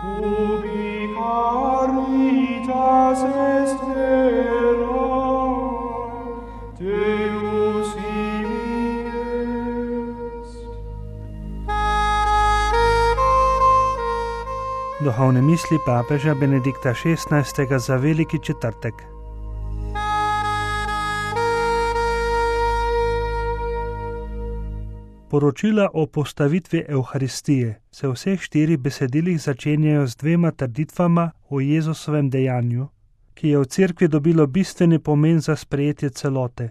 Ubi caritas est vera, Deus ibi est. Duhovne misli papeža Benedikta XVI. Za veliki četrtek. Poročila o postavitvi Evharistije se v vseh 4 besedilih začenjajo z 2 trditvama o Jezusovem dejanju, ki je v cerkvi dobilo bistveni pomen za sprejetje celote.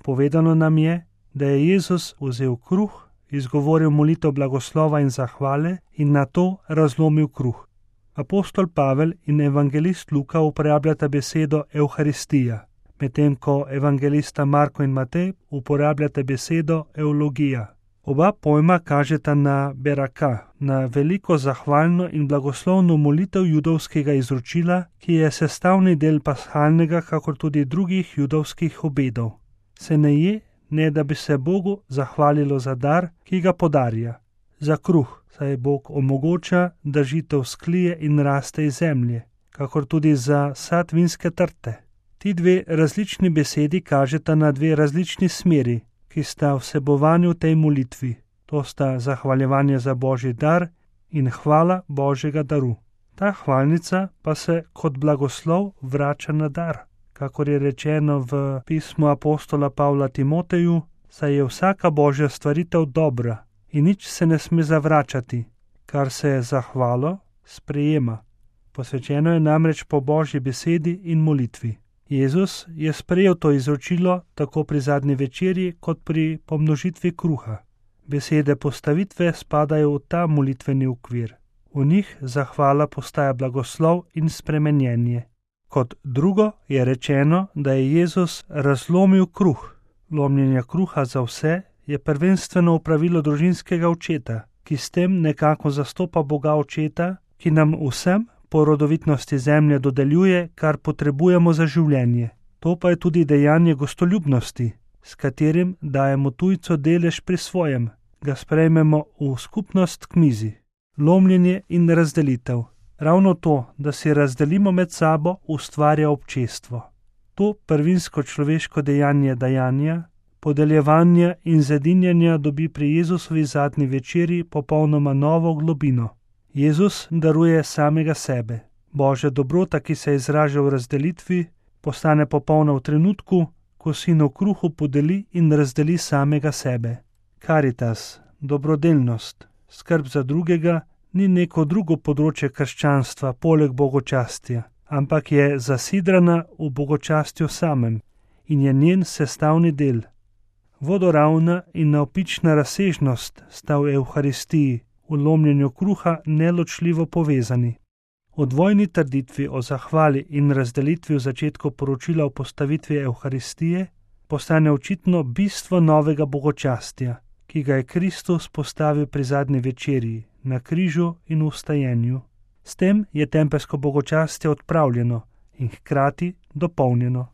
Povedano nam je, da je Jezus vzel kruh, izgovoril molitev blagoslova in zahvale in nato razlomil kruh. Apostol Pavel in evangelist Luka uporabljata besedo Evharistija, medtem ko evangelista Marko in Matej uporabljata besedo eulogija. Oba pojma kažeta na beraka, na veliko zahvalno in blagoslovno molitev judovskega izročila, ki je sestavni del pashalnega, kakor tudi drugih judovskih obedov. Se ne je, ne da bi se Bogu zahvalilo za dar, ki ga podarja. Za kruh, saj Bog omogoča, da žito vzklije in raste iz zemlje, kakor tudi za sad vinske trte. Ti 2 različni besedi kažeta na 2 različni smeri, ki sta vsebovani v tej molitvi. To sta zahvaljevanje za Božji dar in hvala Božjega daru. Ta hvalnica pa se kot blagoslov vrača na dar. Kakor je rečeno v pismu apostola Pavla Timoteju, saj je vsaka Božja stvaritev dobra in nič se ne sme zavračati, kar se za hvalo sprejema. Posvečeno je namreč po Božji besedi in molitvi. Jezus je sprejel to izročilo tako pri zadnji večerji kot pri pomnožitvi kruha. Besede postavitve spadajo v ta molitveni okvir. V njih zahvala postaja blagoslov in spremenjenje. Kot drugo je rečeno, da je Jezus razlomil kruh. Lomljenje kruha za vse je prvenstveno opravilo družinskega očeta, ki s tem nekako zastopa Boga očeta, ki nam vsem po rodovitnosti zemlje dodeljuje, kar potrebujemo za življenje. To pa je tudi dejanje gostoljubnosti, s katerim dajemo tujcu delež pri svojem, ga sprejmemo v skupnost k mizi. Lomljenje in razdelitev. Ravno to, da si razdelimo med sabo, ustvarja občestvo. To prvinsko človeško dejanje dajanja, podeljevanja in zedinjanja dobi pri Jezusovi zadnji večerji popolnoma novo globino. Jezus daruje samega sebe. Božja dobrota, ki se izraža v razdelitvi, postane popolna v trenutku, ko Sin v kruhu podeli in razdeli samega sebe. Karitas, dobrodelnost, skrb za drugega, ni neko drugo področje krščanstva poleg bogočastja, ampak je zasidrana v bogočastju samem in je njen sestavni del. Vodoravna in navpična razsežnost sta v Evharistiji, v lomljenju kruha neločljivo povezani. V dvojni trditvi o zahvali in razdelitvi v začetku poročila o postavitvi Evharistije postane očitno bistvo novega bogočastja, ki ga je Kristus postavil pri zadnji večerji, na križu in v vstajenju. S tem je tempeljsko bogočastje odpravljeno in hkrati dopolnjeno.